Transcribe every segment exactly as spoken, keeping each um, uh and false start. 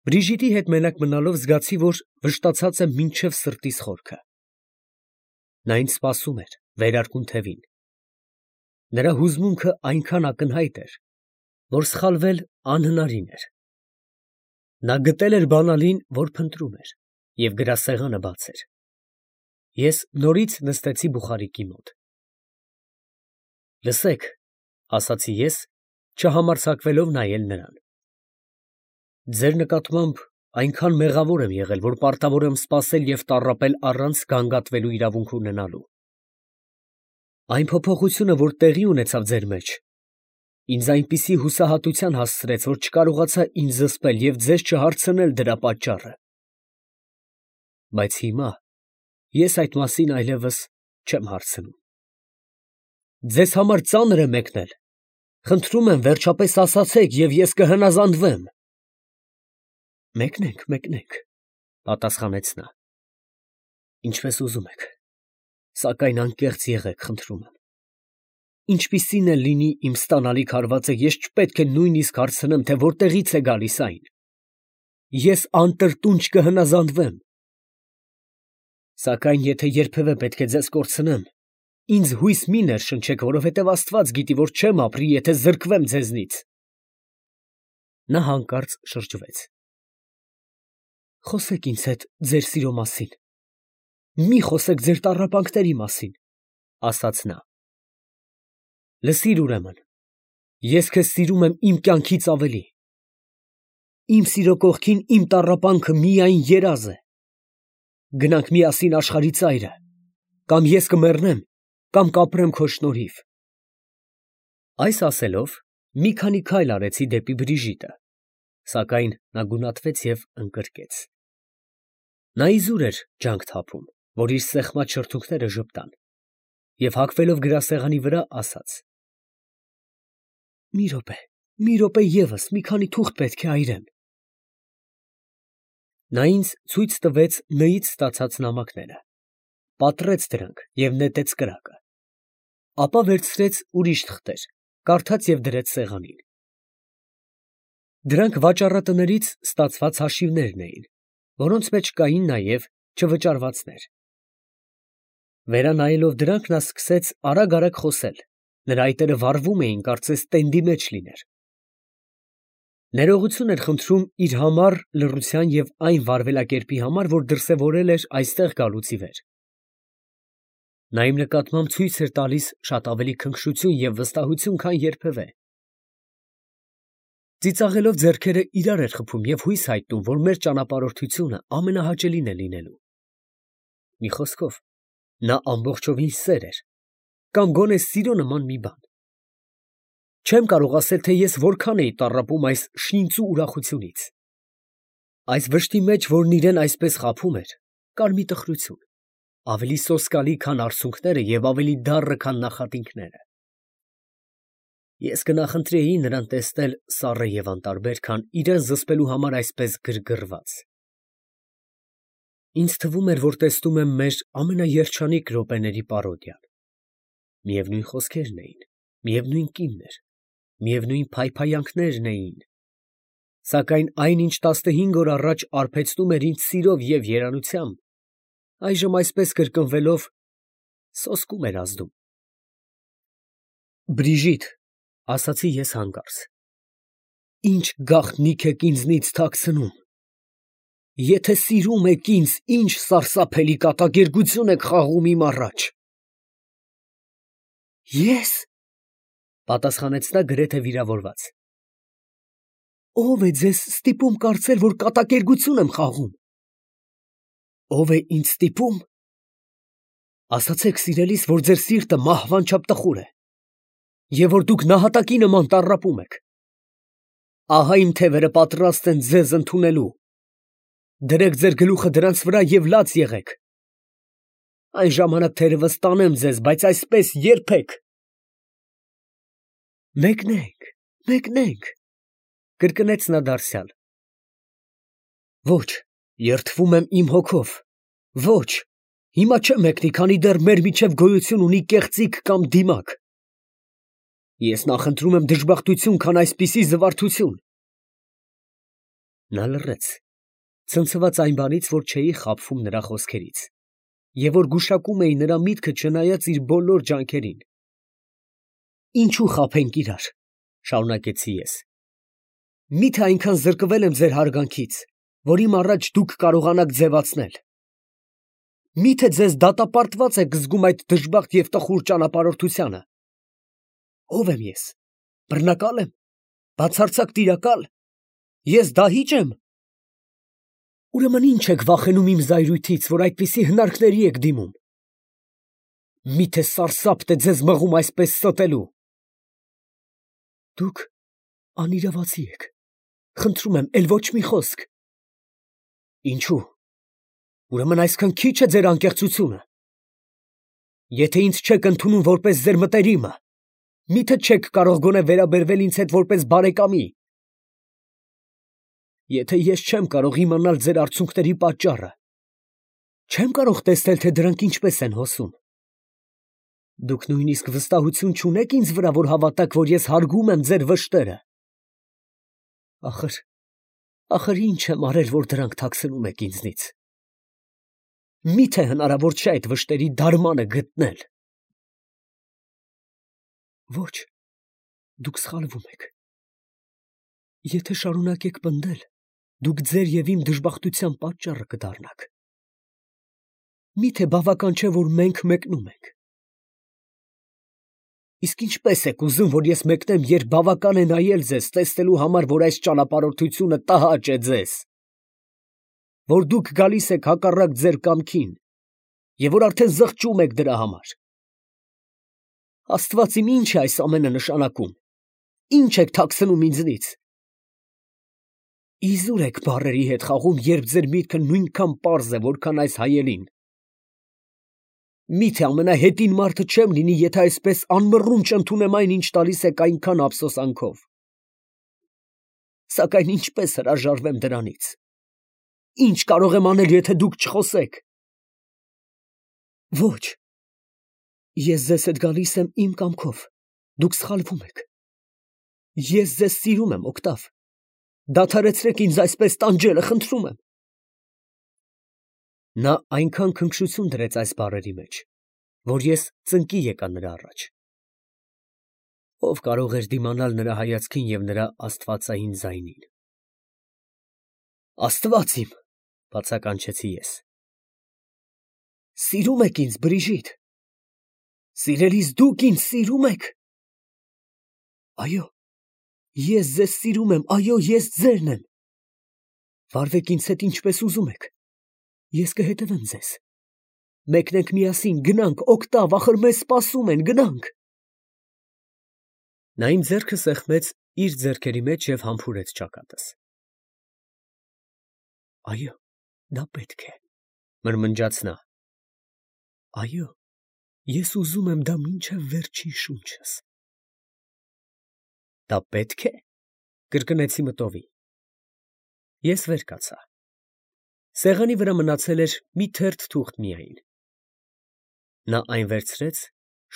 Բրիժիտի հետ մենակ մնալով զգացի, որ վշտացած եմ մինչև սրտիս խորքը. նա ինձ սպասում էր վերարկուն թևին. նրա հուզմունքը այնքան ակնհայտ էր, որ սխալվել անհնարին էր. նա գտել էր բանալին, որ փնտրում էր, և գրասեղանը բաց էր. ես նորից նստեցի բուխարիկի մոտ։ «Լսեք», ֊ ասացի ես, չհամարձակվելով նայել նրան, «ձեր նկատմամբ այնքան մեղավոր եմ եղել, որ պարտավոր եմ սպասել և տառապել առանց գանգատվելու իրավունք ունենալու։ Այն փոփոխությունը, որ տեղի ունեցավ ձեր մեջ, ինձ այնպիսի հուսահատության հասցրեց, որ չկարողացա ինձ զսպել և ձեզ չհարցնել դրա պատճառը։ Բայց հիմա ես այդ մասին այլևս չեմ հարցնում։ Ձեզ համար ծանր է մեկնել, խնդրում եմ, վերջապես ասացեք, և ես կհնազանդվեմ»։ «Մեկնենք, մեկնենք», ֊ պատասխանեց նա, «ինչպես ուզում եք, սակայն անկեղծ եղեք, խնդրում եմ։ Ինչպիսին էլ լինի իմ ստանալիք հարվածը, ես չպետք է նույնիսկ հարցնեմ, թե որտեղից է գալիս այն։ Ես անտրտունջ կհնազանդվեմ։ Սակայն եթե երբևէ պետք է ձեզ կորցնեմ, ինձ հույս մի ներշնչեք, որովհետև Աստված գիտի, որ չեմ ապրի, եթե զրկվեմ ձեզնից»։ Նա հանկարծ շրջվեց. «Խոսեք ինձ հետ ձեր սիրո մասին, մի խոսեք ձեր տառապանքների մասին», ֊ ասաց նա։ «Լսիր ուրեմն, ես քեզ սիրում եմ իմ կյանքից ավելի։ Իմ սիրո կողքին իմ տառապանքը միայն երազ է։ Գնանք միասին աշխարհի ծայրը, կամ ես կմեռնեմ, կամ կապրեմ քո շնորհիվ»։ Այս ասելով, մի քանի քայլ արեցի դեպի Բրիժիտը, սակայն նա գունատվեց և ընկրկեց։ Նա իզուր էր ջանք թափում, որ իր սեղմած շրթունքները ժպտան, և հագվելով գրասեղանի վրա, ասաց. «Մի րոպե, մի րոպե ևս, մի քանի թուղթ պետք է այրեմ»։ Նա ինձ ցույց տվեց Ն֊ից ստացած նամակները, պատռեց դրանք և նետեց կրակը, ապա վերցրեց ուրիշ թղթեր, կարդաց և դրեց սեղանին։ Դրանք վաճառատներից ստացված հաշիվներն էին, որոնց մեջ կային նաև չվճարվածներ։ Վերանայելով դրանք, նա սկսեց արագ֊արագ խոսել, նրա այտերը վառվում էին, կարծես տենդի մեջ լիներ։ Ներողություն էր խնդրում իր համառ լռության և այն վարվելակերպի համար, որ դրսևորել էր այստեղ գալուց ի վեր։ Նա իմ նկատմամբ ցույց էր տալիս շատ ավելի քնքշություն և վստահություն, քան երբևէ։ Ծիծաղելով ձեռքերը իրար էր խփում և հույս հայտնում, որ մեր ճանապարհորդությունը ամենահաճելին է լինելու։ Մի խոսքով, նա ամբողջովին սեր էր, կամ գոնե սիրո նման մի բան։ Չեմ կարող ասել, թե ես որքան էի տառապում այս շինծու ուրախությունից։ Այս վշտի մեջ, որն իրեն այսպես խաբում էր, կար մի տխրություն, ավելի սոսկալի, քան արցունքները և ավելի դառը, քան նախատինքները։ Ես կնախընտրեի նրան տեսնել սառը և անտարբեր, քան իրան զսպելու համար այսպես գրգռված։ Ինձ թվում էր, որ տեսնում եմ մեր ամենաերջանիկ րոպեների պարոդիան։ Միևնույն խոսքերն էին, միևնույն կինն էր, միևնույն փայփայանքներն էին, սակայն այն, ինչ տասնհինգ օր առաջ արբեցնում էր ինձ սիրով և երանությամբ, այժմ այսպես կրկնվելով սոսկում էր ազդում։ «Բրիժիտ», ֊ ասացի ես հանկարծ, ֊ ի՞նչ գաղտնիք եք ինձնից թաքցնում։ Եթե սիրում եք ինձ, ի՞նչ սարսափելի կատակերգություն եք խաղում իմ առաջ։ «Ե՞ս», ֊ պատասխանեց նա գրեթե վիրավորված։ «Ո՞վ է ձեզ ստիպում կարծել, որ կատակերգություն եմ խաղում։ Ո՞վ է ինձ ստիպում։ Ասացեք սիրելիս, որ ձեր սիրտը մահվան չափ տխուր է, և որ դուք նահատակի նման տառապում եք։ Ահա իմ թևերը պատրաստ են ձեզ ընդունելու։ Դրեք ձեր գլուխը դրանց վրա և լաց եղեք։ Այն ժամանակ թերևս տանեմ ձեզ, բայց այսպես երբեք»։ «Մեկնենք, մեկնենք», ֊ կրկնեց նա դարձյալ։ «Ոչ, երդվում եմ իմ հոգով, ոչ, հիմա չեմ մեկնի, քանի դեռ մեր միջև գոյություն ունի կեղծիք կամ դիմակ։ Ես նախընտրում եմ դժբախտություն, քան այսպիսի զվարթություն»։ Նա լռեց, ցնցված այն բանից, որ չէի խաբվում նրա խոսքերից, և որ գուշակում էի նրա միտքը չնայած իր բոլոր ջանքերին։ Ինչու խաբենք իրար, շարունակեցի ես։ Միթե այնքան զրկվել եմ ձեր հարգանքից, որ իմ առաջ դուք կարողանաք ձևացնել։ Միթե ձեզ դատապարտված եք զգում այդ դժբախտ և տխուր ճանապարհորդությանը։ Ո՞վ եմ ես, բռնակա՞լ եմ, բացարձակ տիրակա՞լ, ես դահի՞ճ եմ։ Ուրեմն ի՞նչ եք վախենում իմ զայրույթից, որ այդպիսի հնարքների եք դիմում։ Միթե սարսափն է ձեզ մղում այսպես ստելու։ Դուք անիրավացի եք, խնդրում եմ, էլ ոչ մի խոսք։ Ինչու՞։ Ուրեմն այսքան քիչ է ձեր անկեղծությունը։ Եթե ինձ չեք ընդունում որպես ձեր մտերիմը, միթե չեք կարող գոնե վերաբերվել ինձ հետ որպես բարեկամի։ Եթե ես չեմ կարող իմանալ ձեր արցունքների պատճառը, չեմ կարող տեսնել, թե դրանք ինչպես են հոսում։ Դուք նույնիսկ վստահություն չունեք ինձ վրա, որ հավատաք, որ ես հարգում եմ ձեր վշտերը։ Ախր, ախր ինչ եմ արել, որ դրանք թաքցնում եք ինձնից։ Միթե հնարավոր չէ այդ վշտերի դարմանը գտնել։ Ոչ, դուք սխալվում եք։ Եթե շարունակեք պնդել, դուք ձեր և իմ դժբախտության պատճառը կդառնաք։ Միթե բավական չէ, որ մենք մեկնում ենք։ Իսկ ինչպես եք ուզում, որ ես մեկնեմ, երբ բավական է նայել ձեզ, տեսնելու համար, որ այս ճանապարհորդությունը տհաճ է ձեզ, որ դուք գալիս եք հակառակ ձեր կամքին, և որ արդեն զղջում եք դրա համար։ Աստված իմ, ի՞նչ է այս ամենը նշանակում, ի՞նչ եք թաքցնում ինձնից։ Իզուր եք բառերի հետ խաղում, երբ ձեր միտքը նույնքան պարզ է, որքան այս հայելին։ Միթե ամենահետին մարդը չեմ լինի, եթե այսպես անմռունչ ընդունեմ այն, ինչ տալիս եք այնքան ափսոսանքով։ Սակայն ինչպես հրաժարվեմ դրանից։ Ինչ կարող եմ անել, եթե դուք չխոսեք։ Ոչ, ես ձեզ հետ գալիս եմ իմ կամքով, դուք սխալվում եք։ Ես ձեզ սիրում եմ, Օկտավ, դադարեցրեք ինձ այսպես տանջելը, խնդրում եմ։ Նա այնքան քնքշություն դրեց այս բառերի մեջ, որ ես ծնկի եկա նրա առաջ։ Ով կարող էր դիմանալ նրա հայացքին և նրա աստվածային ձայնին։ Աստված իմ, բացականչեցի ես։ Սիրում եք ինձ, Բրիժիտ։ Սիրելիս դուք ինձ սիրում եք։ Այո, ես ձեզ սիրում եմ, այո, ես ձերն եմ։ Վարվեք ինձ հետ ինչպես ուզում եք, ես կհետևեմ ձեզ։ Մեկնենք միասին, գնանք, Օկտավ, ախր մեզ սպասում են, գնանք։ Նա իմ ձեռքը սեղմեց իր ձեռքերի մեջ և համբուրեց ճակատս։ Այո, դա պետք է, մրմնջաց նա։ Այո, ես ուզում եմ դա մինչև վերջին շունչս։ Դա պետք է, կրկնեցի մտովի։ Ես վեր կացա։ Սեղանի վրա մնացել էր մի թերթ թուղթ միայն։ Նա այն վերցրեց,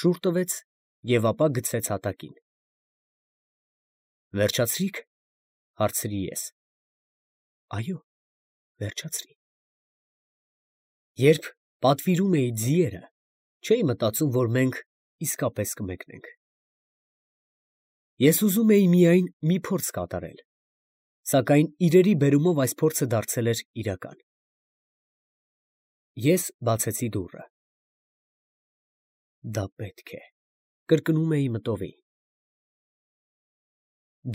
շուռ տվեց և ապա գցեց հատակին։ Վերջացրի՞ք, հարցրի ես։ Այո, վերջացրի։ Երբ պատվիրում էի ձիերը, չէի մտածում, որ մենք իսկապես կմեկնենք։ Ես ուզում էի միայն մի փորձ կատարել, սակայն իրերի բերումով այս փորձը դարձել էր իրական։ Ես բացեցի դուռը։ Դա պետք է, կրկնում էի մտովի։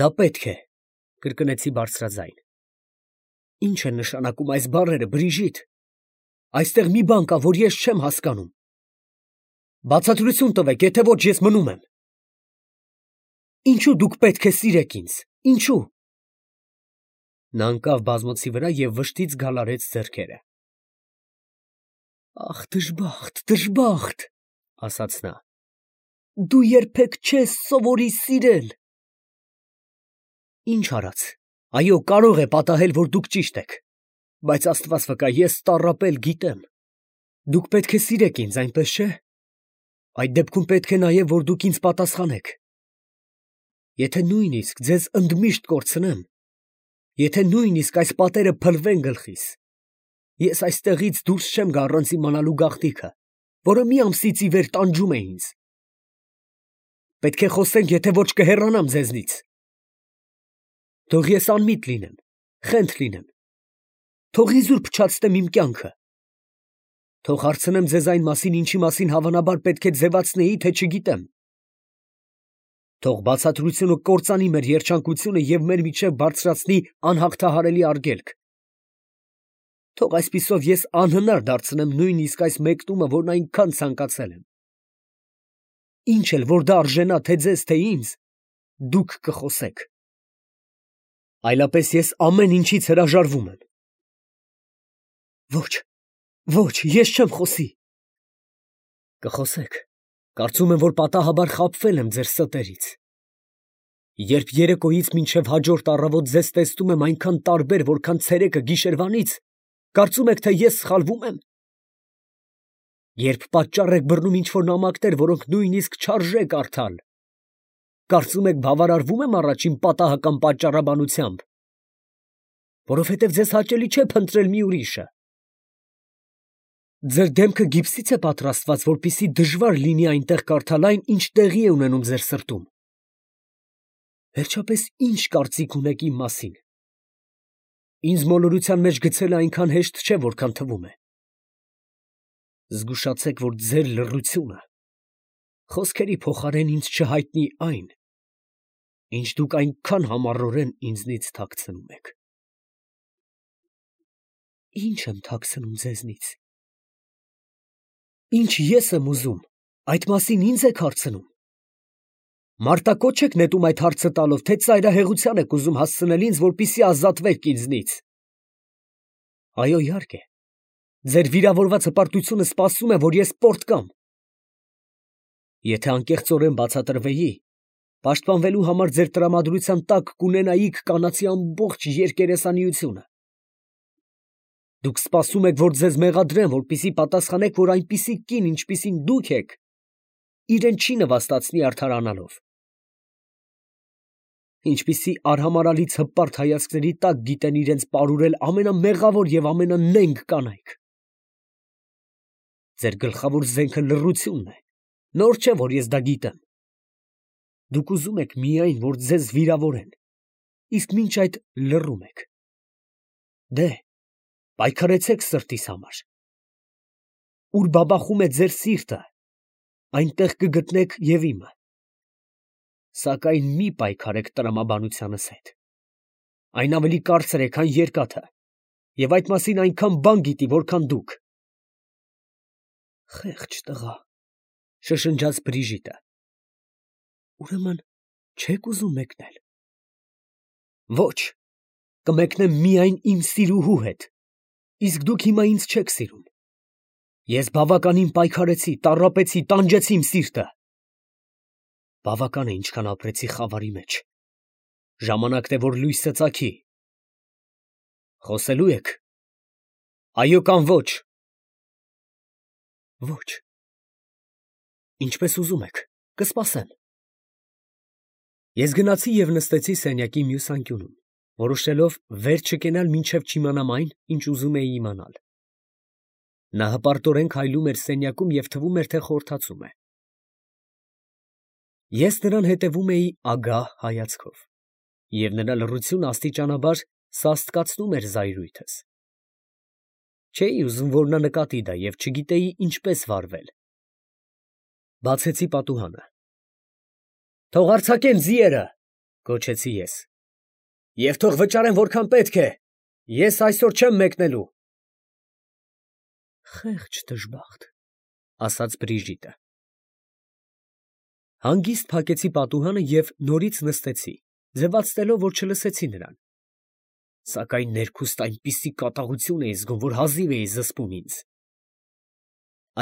Դա պետք է, կրկնեցի բարձրաձայն։ Ինչ են նշանակում այս բառերը, Բրիժիտ։ Այստեղ մի բան կա, որ ես չեմ հասկանում։ Բացատրություն տվեք, եթե ոչ ես մնում եմ։ Ինչու դուք պետք է սիրեք ինձ, ինչու։ Նա ընկավ բազմոցի վրա և վշտից գալարեց ձեռքերը։ Ախ, դժբախտ, դժբախտ, ասաց նա։ Դու երբեք չես սովորի սիրել։ Ինչ արած, այո, կարող է պատահել, որ դուք ճիշտ եք, բայց Աստված վկա, ես տառապել գիտեմ։ Դուք պետք է սիրեք ինձ, այնպես չէ։ Այդ դեպքում պետք է նաև, որ դուք ինձ պատասխանեք։ Եթե նույնիսկ ձեզ ընդմիշտ կորցնեմ, Եթե նույնիսկ այս պատերը փլվեն գլխիս, ես այստեղից դուրս չեմ գա առանց իմանալու գաղտնիքը, որը մի ամսից ի վեր տանջում է ինձ։ Պետք է խոսենք, եթե ոչ կհեռանամ ձեզնից։ Թող ես անմիտ լինեմ, խենթ լինեմ, թող իզուր փչացնեմ իմ կյանքը, թող հարցնեմ ձեզ այն մասին, ինչի մասին հավանաբար պետք է ձևացնեի, թե չգիտեմ։ Թող բացատրությունը կործանի մեր երջանկությունը և մեր միջև բարձրացնի անհաղթահարելի արգելք։ Թող այսպիսով ես անհնար դարձնեմ նույնիսկ այս մեկնումը, որն այնքան ցանկացել եմ։ Ինչ էլ որ դա արժենա թե ձեզ, թե ինձ, դուք կխոսեք։ Այլապես ես ամեն ինչից հրաժարվում եմ։ Ոչ, ոչ, ես չեմ խոսի։ Կխոսեք, կարծում եմ, որ պատահաբար խաբվել եմ ձեր ստերից։ Երբ երեկոյից մինչև հաջորդ առավոտ ձեզ տեսնում եմ այնքան տարբեր, որքան ցերեկը գիշերվանից, կարծում եք, թե ես սխալվում եմ։ Երբ պատճառ եք բռնում ինչ-որ նամակներ, որոնք նույնիսկ չարժե կարդալ, կարծում եք բավարարվում եմ առաջին պատահական պատճառաբանությամբ, որովհետև ձեզ հաճելի չէ փնտրել մի ուրիշը։ Ձեր դեմքը գիպսից է պատրաստված, որպեսզի դժվար լինի այնտեղ կարդալ այն, ինչ տեղի է ունենում ձեր սրտում։ Վերջապես ի՞նչ կարծիք ունեք իմ մասին։ Ինձ մոլորության մեջ գցելը այնքան հեշտ չէ, որքան թվում է։ Զգուշացեք, որ ձեր լռությունը խոսքերի փոխարեն ինձ չհայտնի այն, ինչ դուք այնքան համառորեն ինձնից թաքցնում եք։ Ինչ եմ թաքցնում ձեզնից։ Ինչ ես եմ ուզում, այդ մասին ինձ եք հարցնում։ Մարտակոչ եք նետում այդ հարցը տալով, թե ծայրահեղության եք ուզում հասցնել ինձ, որպեսզի ազատվեք ինձնից։ Այո, իհարկե, ձեր վիրավորված հպարտությունը սպասում է, որ ես պորտկամ։ Եթե անկեղծորեն բացատրվեի, պաշտպանվելու համար ձեր տրամադրության տակ կունենայիք կանացի ամբողջ երկերեսանիությունը։ Դուք սպասում եք, որ ձեզ մեղադրեն, որպեսզի պատասխանեք, որ այնպիսի կին, ինչպիսին դուք եք, իրեն չի նվաստացնի արդարանալով։ Ինչպիսի արհամարհալից հպարտ հայացքների տակ գիտեն իրենց պարուրել ամենամեղավոր և ամենանենգ կանայք։ Ձեր գլխավոր զենքը լռությունն է, նոր չէ, որ ես դա գիտեմ։ Դուք ուզում եք միայն, որ ձեզ վիրավորեն, իսկ մինչ այդ լռում եք։ Դե, պայքարեցեք սրտիս համար։ Ուր բաբախում է ձեր սիրտը, այնտեղ կգտնեք և իմը։ Սակայն մի պայքարեք տրամաբանությանս հետ։ Այն ավելի կարծր է, քան երկաթը, և այդ մասին այնքան բան գիտի, որքան դուք։ Խեղճ տղա, շշնջաց Բրիժիտը։ Ուրեմն չեք ուզում մեկնել։ Ոչ, կմեկնեմ միայն իմ սիրուհու հետ, իսկ դուք հիմա ինձ չեք սիրում։ Ես բավականին պայքարեցի, տառապեցի, տանջեցի իմ սիրտը։ Բավական է, ինչքան ապրեցի խավարի մեջ։ Ժամանակն է, որ լույսը ծագի։ Խոսելու եք։ Այո կամ ոչ։ Ոչ։ Ինչպես ուզում եք, կսպասեմ։ Ես գնացի և նստեցի սենյակի մյուս անկյունում, որոշելով վեր չկենալ, մինչև չիմանամ այն, ինչ ուզում էի իմանալ։ Նա հպարտորեն քայլում էր սենյակում և թվում էր, թե խորհրդացում է։ Ես նրան հետևում էի ագահ հայացքով, և նրա լռությունը աստիճանաբար սաստկացնում էր զայրույթս։ Չէի ուզում, որ նա նկատի դա, և չգիտեի ինչպես վարվել։ Բացեցի պատուհանը։ Թող արձակեն ձիերը, գոչեցի ես, և թող վճարեն որքան պետք է, ես այսօր չեմ մեկնելու։ Խեղճ դժբախտ, ասաց Բրիժիտը։ Հանգիստ փակեցի պատուհանը և նորից նստեցի, ձևացնելով, որ չլսեցի նրան։ Սակայն ներքուստ այնպիսի կատաղություն էի զգում, որ հազիվ էի զսպում ինձ։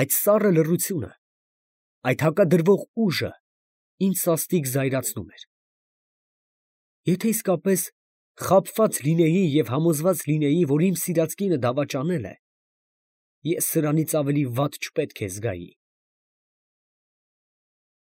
Այդ սառը լռությունը, այդ հակադրվող ուժը ինձ սաստիկ զայրացնում էր։ Եթե իսկապես խաբված լինեի և համոզված լինեի, որ իմ սիրած կինը դավաճանել է, ես սրանից ավելի վատ չպետք է զգայի։